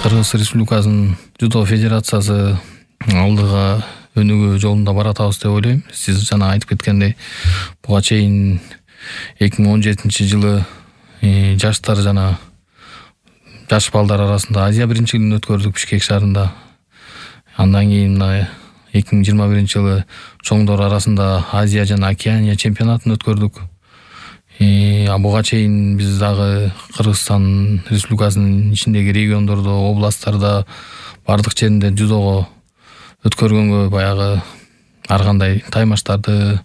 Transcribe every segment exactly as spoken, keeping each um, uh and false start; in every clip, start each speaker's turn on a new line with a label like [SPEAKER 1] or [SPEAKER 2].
[SPEAKER 1] Кыргыз Республикасынын Дзюдо Федерациясы алдыга өнүгүү жолунда баратабыз деп ойлойм. Сиз жана айтып кеткендей, буга чейин эки миң он жетинчи жылы жаштар жана жаш балдар арасында Азия биринчилигин өткөрдүк Бишкек шаарында. Андан кийин мына эки миң жыйырма биринчи жылы чоңдор арасында Азия жана Океания чемпионатын өткөрдүк. А буга чейин биз дагы Кыргызстан Республикасынын ичиндеги региондордо, областтарда бардык жеринде дзюдого өткөргөнгө баягы ар кандай таймаштарды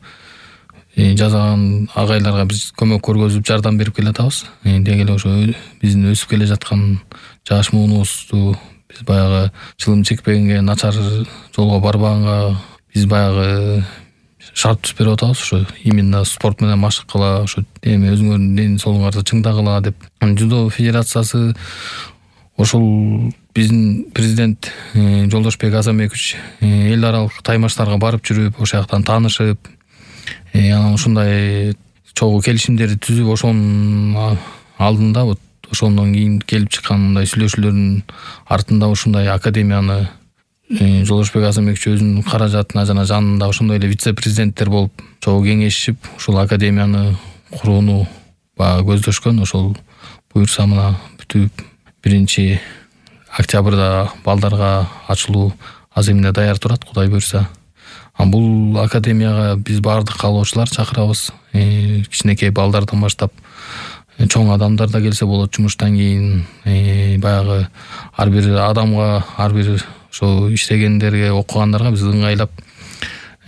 [SPEAKER 1] жасаган агайларга биз көмөк көргөзүп жардам берип келатабыз. Деги эле ошо биздин өсүп келе жаткан жаш муунубузду биз баягы чылым чекпегенге, начар жолго барбаганга биз баягы шарт түзүп берип атабыз. Ошо именно спорт менен машык кыла, ошо эми өзүңөрдүн ден соолуңарды чыңдагыла деп. Дзюдо Федерациясы ошол биздин президент Жолдошбек Азамбекович эл аралык таймаштарга барып жүрүп, ошол жактан таанышып, анан ушундай чогуу келишимдерди түзүп, ошонун алдында вот ошондон кийин келип чыккан мындай сүйлөшүүлөрдүн артында ушундай академияны Жолдошбек Азамбекович өзүнүн каражатына жана жанында ошондой эле вице-президенттер болуп чогуу кеңешип, ушул академияны курууну баягы көздөшкөн. Ошол буюрса мына бүтүп биринчи октябрда балдарга ачылуу азыр эмне даяр турат, Кудай буюрса. А бул академияга биз баардык каалоочулар чакырабыз. Кичинекей балдардан баштап чоң адамдар да келсе болот. Жумуштан кийин баягы ар бир адамга, ар бир ошо иштегендерге, окугандарга биз ыңгайлап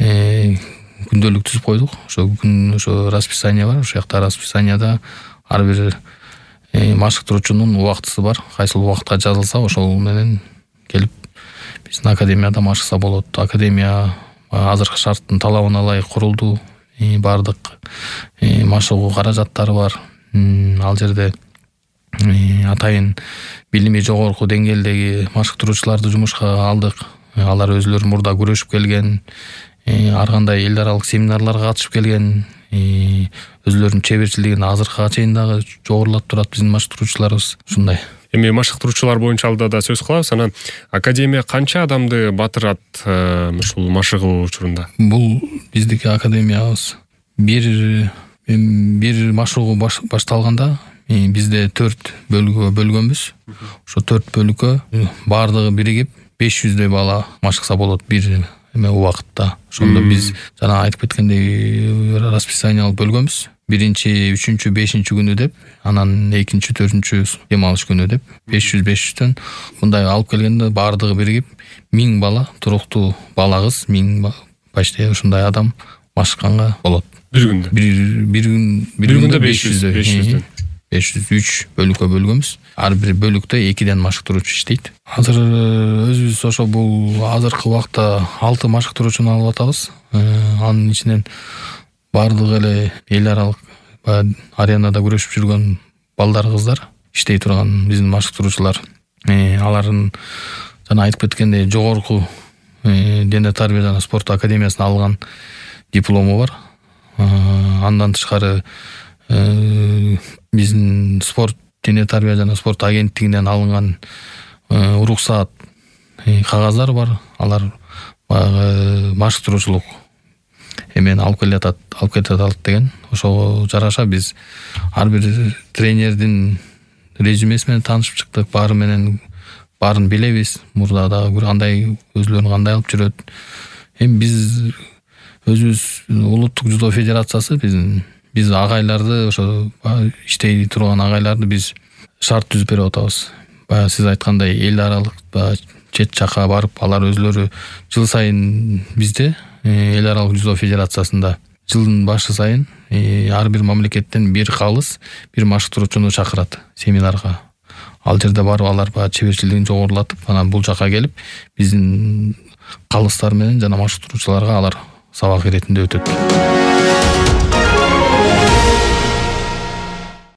[SPEAKER 1] күндөлүк түзүп койдук. Ошо күн ошо расписание бар. Ошол жакта расписанияда ар бир машыктыруучунун убактысы бар. Кайсыл убакытка жазылса, ошол менен келип биздин академияда машыкса болот. Академия азыркы шарттын талабына ылайык курулду. Бардык машыгуу каражаттары бар. Ал жерде атайын билими жогорку деңгээлдеги машыктыруучуларды жумушка алдык. Алар өзлөрү мурда күрөшүп келген, ар кандай эл аралык семинарларга катышып келген, өзлөрүнүн чеберчилигин азыркыга чейин дагы жогорулап турат биздин машыктыруучуларыбыз. Ушундай.
[SPEAKER 2] Эми машыктыруучулар боюнча алда да сөз кылабыз. Анан академия канча адамды батырат ушул машыгуу учурунда?
[SPEAKER 1] Бул биздики академиябыз бир бир машыгуу башталганда бизде төрт бөлүккө бөлгөнбүз. Ошо төрт бөлүккө баардыгы биригип беш жүздөй бала машыкса болот бир эме убакытта. Ошондо биз жана айтып кеткендей расписание алып бөлгөнбүз. Биринчи, үчүнчү, бешинчи күнү деп, анан экинчи, төртүнчү дем алыш күнү деп беш жүз беш жүздөн мындай алып келгенде баардыгы биригип миң бала, туруктуу бала кыз миң почти ушундай адам машыкканга болот.
[SPEAKER 2] Бир күндө.
[SPEAKER 1] Бир бир күн
[SPEAKER 2] бир күндө беш жүз
[SPEAKER 1] беш жүз үч бөлүккө бөлгөнбүз. Ар бир бөлүктө экиден машыктыруучу иштейт. Азыр өзүбүз ошо бул азыркы убакта алты машыктыруучуну алып атабыз. Анын ичинен баардыгы эле эл аралык аренада күрөшүп жүргөн балдар, кыздар иштей турган биздин машыктыруучулар. Алардын жана айтып кеткендей жогорку дене тарбия жана спорт академиясынан алган диплому бар. Андан тышкары биздин спорт дене тарбия жана спорт агенттигинен алынган уруксаат кагаздар бар. Алар баягы машыктыруучулук эмени алып келатат, алып кете алат деген. Ошого жараша биз ар бир тренердин резюмеси менен таанышып чыктык. Баары менен баарын билебиз. Мурда дагы кандай өзлөрүн кандай алып жүрөт. Эми биз өзүбүз улуттук дзюдо федерациясы биздин биз агайларды, ошо иштей турган агайларды биз шарт түзүп берип атабыз. Баягы сиз айткандай эл аралык чет жакка барып, алар өзлөрү жыл сайын бизде эл аралык дзюдо федерациясында жылдын башы сайын ар бир мамлекеттен бир калыс, бир машыктыруучуну чакырат семинарга. Ал жерде барып алар баягы чеберчилигин жогорулатып, анан бул жака келип биздин калыстар менен жана машыктыруучуларга алар сабак иретинде өтөт.